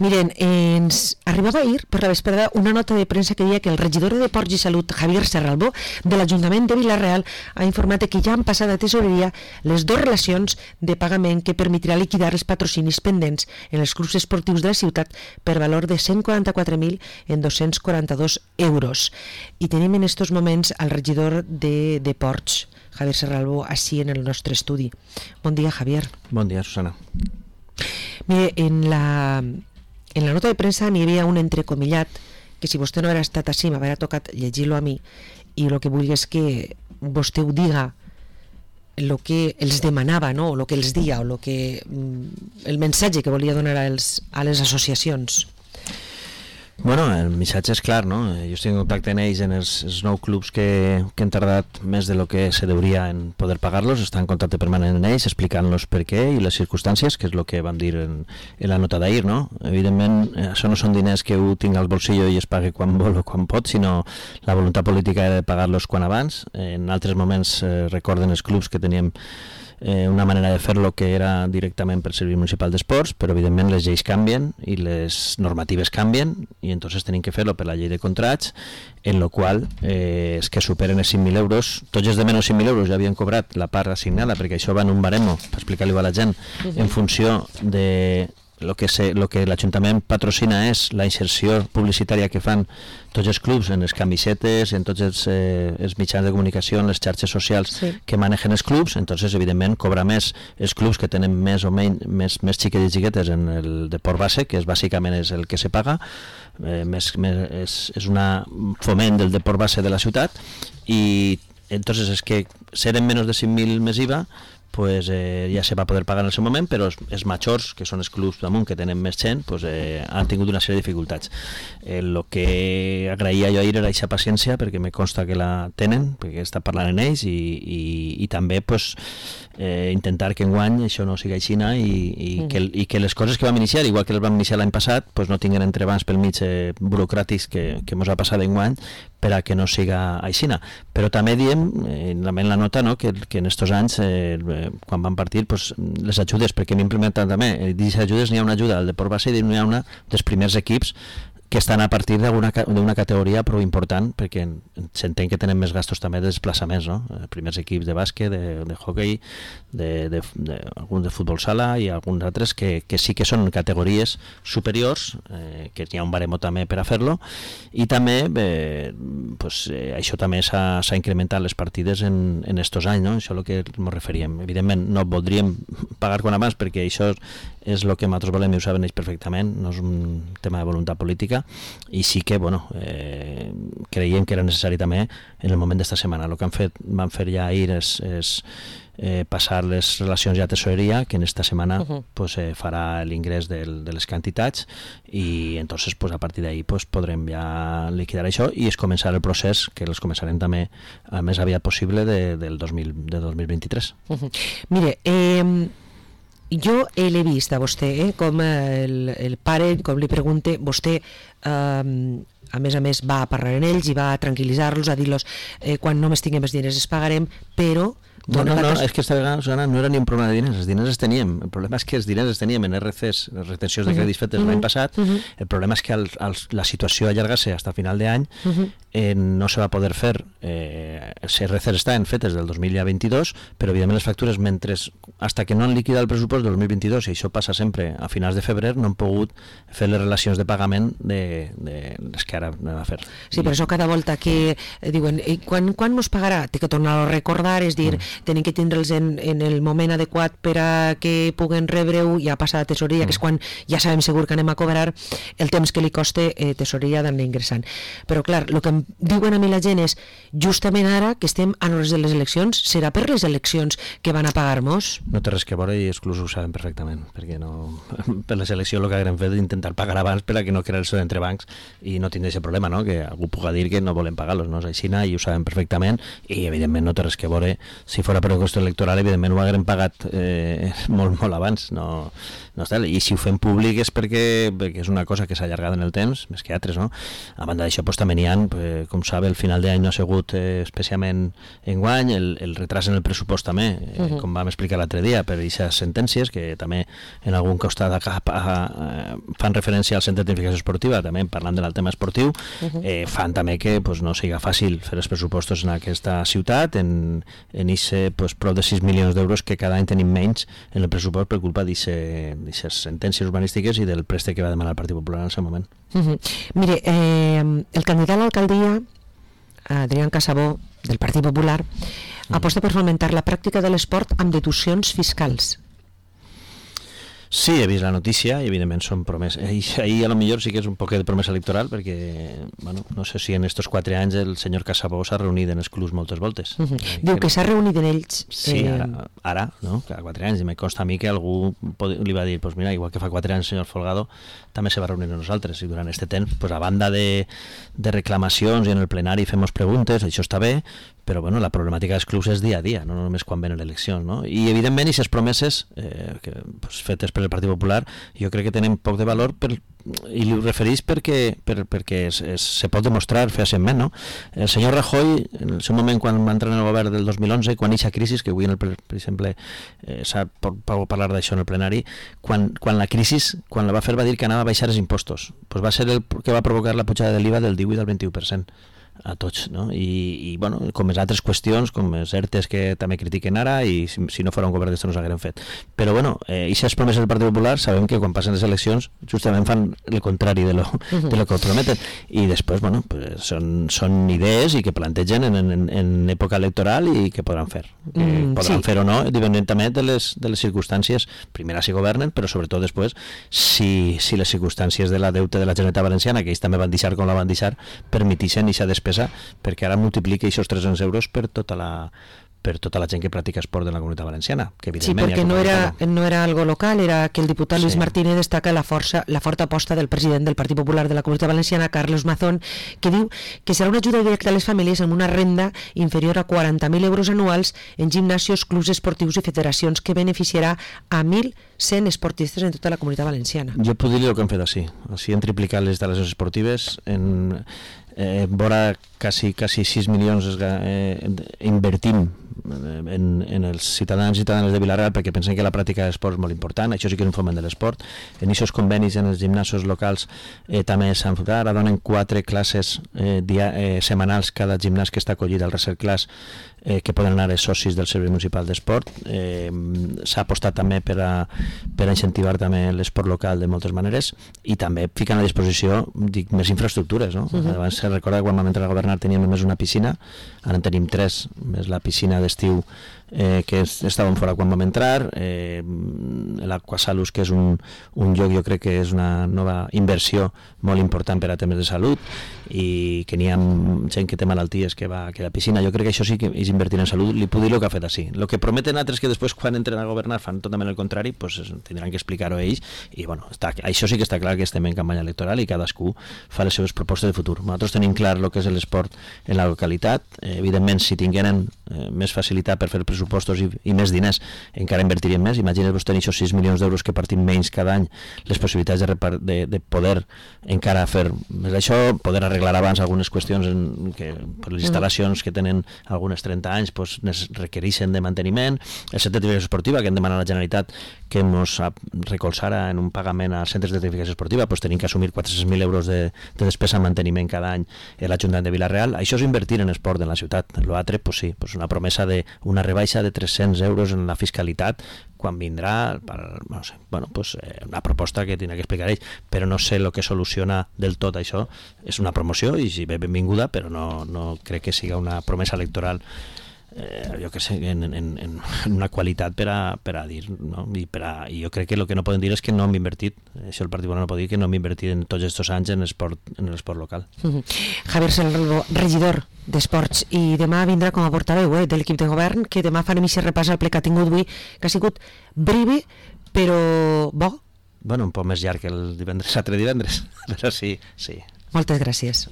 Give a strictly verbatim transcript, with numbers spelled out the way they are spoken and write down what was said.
Miren, ens arribava ahir per la vesprada una nota de premsa que deia que el regidor de Ports i Salut, Javier Serralbó, de l'Ajuntament de Vila-real, ha informat que ja han passat a tesoreria les dues relacions de pagament que permetrà liquidar els patrocinis pendents en els clubs esportius de la ciutat per valor de cent quaranta-quatre mil en dos-cents quaranta-dos euros. I tenim en estos moments al regidor de, de Ports, Javier Serralbó, així en el nostre estudi. Bon dia, Javier. Bon dia, Susana. Mire, en la, en la nota de premsa n'hi havia un entrecomillat que si vostè no haguera estat així m'hauria tocat llegir-lo a mi, i el que vull és que vostè ho diga el que els demanava, no? O el que els dia, o lo que, el missatge que volia donar als, a les associacions. Bueno, el missatge és clar, no? Jo estic en contacte amb ells en els, els nou clubs que, que han tardat més de lo que se deuria en poder pagar-los, estan en contacte permanent amb ells, explicant-los per què i les circumstàncies, que és el que vam dir en, en la nota d'ahir, no? Evidentment, això no són diners que ho tinc al bolsillo i es pagui quan vol o quan pot, sinó la voluntat política era de pagar-los quan abans. En altres moments eh, recorden els clubs que teníem Eh, una manera de fer-lo que era directament per Servei Municipal d'Esports, però evidentment les lleis canvien i les normatives canvien i entonces tenim que fer-lo per la llei de contrats, en lo qual eh, és que superen els cinc mil euros, tots els de menys cinc mil euros ja havien cobrat la part assignada, perquè això va en un baremo, per explicar-li a la gent, en funció de lo que, se, lo que l'Ajuntament patrocina és la inserció publicitària que fan tots els clubs en les camisetes, en tots els, eh, els mitjans de comunicació, en les xarxes socials sí. que manegen els clubs, entonces evidentment cobra més els clubs que tenen més o menys més, més xiquets i xiquetes en el deport base, que és bàsicament és el que se paga, eh, més, més, és, és una foment del deport base de la ciutat, i entonces és que seren menys de cinc mil més I V A, pues eh, ja se va poder pagar en el seu moment, però els, els majors, que són els clubs damunt que tenen més gent, pues, eh, han tingut una sèrie de dificultats. El eh, que agraïa jo ahir era aquesta paciència, perquè me consta que la tenen, perquè està parlant amb ells, i, i, i també pues, eh, intentar que enguany això no sigui així, i, i, mm. que, i que les coses que vam iniciar, igual que les vam iniciar l'any passat, pues, no tinguin entrebancs pel mig eh, burocràtics que, que ens ha passat enguany, per a que no siga aixina. Però també diem, eh, en la nota, no, que, que en estos anys, eh, quan van partir, pues, les ajudes, perquè hem implementat també, eh, dins ajudes n'hi ha una ajuda al deport base i n'hi ha una dels primers equips que estan a partir d'una categoria prou important, perquè s'entén que tenen més gastos també de desplaçaments, no? Primers equips de bàsquet, de, de hockey, de, de, de, alguns de futbol sala i alguns altres que, que sí que són categories superiors, eh, que hi ha un baremo també per a fer-lo, i també eh, pues, eh, això també s'ha incrementat les partides en, en estos anys, no? Això és el que ens referíem. Evidentment no voldríem pagar quan abans, perquè això és el que nosaltres volem i ho saben ells perfectament, no és un tema de voluntat política, i sí que bueno, eh, creiem que era necessari també en el moment d'esta setmana. El que han fet, van fer ja ahir és, és eh, passar les relacions ja a tesoreria, que en esta setmana uh-huh. pues, eh, farà l'ingrés de les quantitats, i entonces pues, a partir d'ahí pues, podrem ja liquidar això i es començar el procés, que els començarem també el més aviat possible de, del dos mil, de dos mil vint-i-tres. Uh-huh. Mire, eh... jo l'he vist a vostè, eh, com el, el pare, com li pregunte, vostè, eh, a més a més, va a parlar amb ells i va a tranquil·litzar-los, a dir-los eh, quan només tinguem els diners els pagarem, però... No, no, no, és que esta vegada, Susana, no era ni un problema de diners, els diners els teníem, el problema és que els diners els teníem en R Cs, les retencions de crèdits fetes l'any passat, uh-huh. el problema és que al, al, la situació allargar-se fins a final d'any, uh-huh. eh, no se va poder fer, eh, els R Cs estan fetes del dos mil vint-i-dos, però evidentment les factures, mentre, hasta que no han liquidat el pressupost del dos mil vint-i-dos, i això passa sempre a finals de febrer, no han pogut fer les relacions de pagament de, de les que ara anem a fer. Sí, per això cada volta que eh, diuen, quan, quan mos pagarà? Té que tornar a recordar, és dir, mm. tenim que tindre'ls en, en el moment adequat per a que puguen rebre-ho, ja passa a tesoreria, mm. que és quan ja sabem segur que anem a cobrar el temps que li costa eh, tesoreria d'anar ingressant. Però clar, el que em diuen a mi la gent és, justament ara que estem a l'hora de les eleccions, serà per les eleccions que van a pagar-nos? No té res que veure i els clubs ho saben perfectament, perquè no, per les eleccions el que haguem fet és intentar pagar abans per a que no crear-se entre bancs i no tindre aquest problema, no? Que algú puga dir que no volen pagar-los, no és així, i ho saben perfectament, i evidentment no té res que veure, si fora per qüestió electoral, evidentment ho haguem pagat eh, molt, molt abans, no, no està, i si ho fem públic és perquè, perquè és una cosa que s'ha allargat en el temps, més que altres, no? A banda d'això, pues, també n'hi ha, pues, eh, com sabe, el final d'any no ha sigut eh, especialment enguany, el, el retras en el pressupost també, eh, uh -huh. com vam explicar l'altre dia, per aquestes sentències que també en algun costat a, a, a, fan referència al Centre de Tecnificació Esportiva, també parlant del tema esportiu, uh -huh. eh, fan també que pues, no siga fàcil fer els pressupostos en aquesta ciutat, en aquest pues, prop de sis milions d'euros que cada any tenim menys en el pressupost per culpa d'aquestes sentències urbanístiques i del préstec que va demanar el Partit Popular en aquest moment. Uh -huh. Mire, eh, el candidat a l'alcaldia, Adrián Casabó, del Partit Popular, uh -huh. aposta per fomentar la pràctica de l'esport amb deduccions fiscals. Sí, he vist la notícia i evidentment són promeses. Ahir a lo millor sí que és un poc de promesa electoral perquè, bueno, no sé si en estos quatre anys el senyor Casabó s'ha reunit en els clubs moltes voltes. Uh -huh. eh, Diu que, que s'ha reunit en ells. Sí, eh... ara, ara, no? Cada quatre anys. I me consta a mi que algú li va dir, pues mira, igual que fa quatre anys el senyor Folgado, també se va reunir amb nosaltres. I durant aquest temps, pues, a banda de, de reclamacions i en el plenari fem preguntes, això està bé, però bueno, la problemàtica dels clubs és dia a dia, no només quan venen l'elecció, no? I evidentment aquestes promeses eh, que, pues, fetes per el Partit Popular jo crec que tenen poc de valor per, i ho referís perquè, per, perquè es, es, se pot demostrar fàcilment, no? El senyor Rajoy, en el seu moment quan va entrar en el govern del dos mil onze, quan eixa crisi, que avui en el, per exemple eh, s'ha pot parlar d'això en el plenari, quan, quan la crisi, quan la va fer va dir que anava a baixar els impostos, pues va ser el que va provocar la pujada de l'I V A del divuit al vint-i-u per cent a tots, no? I, i bueno, com les altres qüestions, com els ERTEs que també critiquen ara, i si, si no fora un govern d'això no s'hagueren fet. Però bueno, eh, aquestes promeses del Partit Popular sabem que quan passen les eleccions justament fan el contrari de lo, de lo que prometen, i després, bueno, pues són, són idees i que plantegen en, en, en època electoral i que podran fer. Que mm, podran sí. fer o no, independentment de les, de les circumstàncies, primera si governen, però sobretot després, si, si les circumstàncies de la deute de la Generalitat Valenciana, que ells també van deixar com la van deixar, permetixen i s'ha despesa, perquè ara multiplica aquests tres-cents euros per tota la per tota la gent que practica esport de la Comunitat Valenciana. Que sí, perquè no era, no era algo local, era que el diputat sí. Luis Martínez destaca la força, la forta aposta del president del Partit Popular de la Comunitat Valenciana, Carlos Mazón, que diu que serà una ajuda directa a les famílies amb una renda inferior a quaranta mil euros anuals en gimnasios, clubs esportius i federacions, que beneficiarà a mil cent esportistes en tota la Comunitat Valenciana. Jo puc dir el que hem fet així. Així hem triplicat les instal·lacions esportives en... Eh, vora quasi, quasi sis milions eh, invertim en, en els ciutadans i ciutadanes de Vila-real perquè pensen que la pràctica d'esport és molt important, això sí que és un foment de l'esport. En aquests convenis en els gimnasos locals eh, també s'han fet, ara donen quatre classes eh, dia, eh, setmanals cada gimnàs que està acollit al Research Class, eh, que poden anar els socis del Servei Municipal d'Esport. Eh, s'ha apostat també per a, per a incentivar també l'esport local de moltes maneres i també fiquen a disposició dic, més infraestructures, no? Uh-huh. Abans se recorda que quan vam entrar a governar teníem només una piscina, ara en tenim tres, més la piscina d'estiu eh, que estàvem fora quan vam entrar, eh, l'Aquasalus, que és un, un lloc, jo crec que és una nova inversió molt important per a temes de salut, i que n'hi ha gent que té malalties que va que la piscina, jo crec que això sí que és invertir en salut. Li puc dir el que ha fet així. El que prometen altres que després quan entren a governar fan totalment el contrari, pues tindran que explicar-ho ells, i bueno, està, això sí que està clar que estem en campanya electoral i cadascú fa les seves propostes de futur. Nosaltres tenim clar el que és l'esport en la localitat. Eh, evidentment, si tingueren eh, més facilitat per fer pressupostos i, i més diners, encara invertirien més. Imagina't-vos tenir aquests sis milions d'euros que partim menys cada any, les possibilitats de, de, de poder encara fer més això, poder arreglar abans algunes qüestions en, que per les instal·lacions que tenen algunes trenta anys pues, requereixen de manteniment, el centre de tecnificació esportiva que hem demanat a la Generalitat que ens recolzara en un pagament als centres de tecnificació esportiva, pues, tenim que assumir quatre-cents mil euros de, de despesa en manteniment cada any a l'Ajuntament de Vila-real. Això és invertir en esport en la ciutat. L'altre, pues sí, pues una promesa d'una rebaixa de tres-cents euros en la fiscalitat quan vindrà, per, no sé, bueno, pues, eh, una proposta que tindrà que explicar ells, però no sé el que soluciona del tot això. És una promoció i si bé benvinguda, però no, no crec que siga una promesa electoral eh, jo que sé, en, en, en una qualitat per a, per a dir, no? I, per a, i jo crec que el que no poden dir és que no hem invertit, això el Partit Popular no pot dir que no hem invertit en tots aquests anys en l'esport en l'esport local. Mm-hmm. Javier Serralbó, regidor d'Esports, i demà vindrà com a portaveu eh, de l'equip de govern, que demà farem aquest repàs al ple que ha tingut avui, que ha sigut breve, però bo. Bueno, un poc més llarg que el divendres, l'altre divendres, però sí, sí. Moltes gràcies.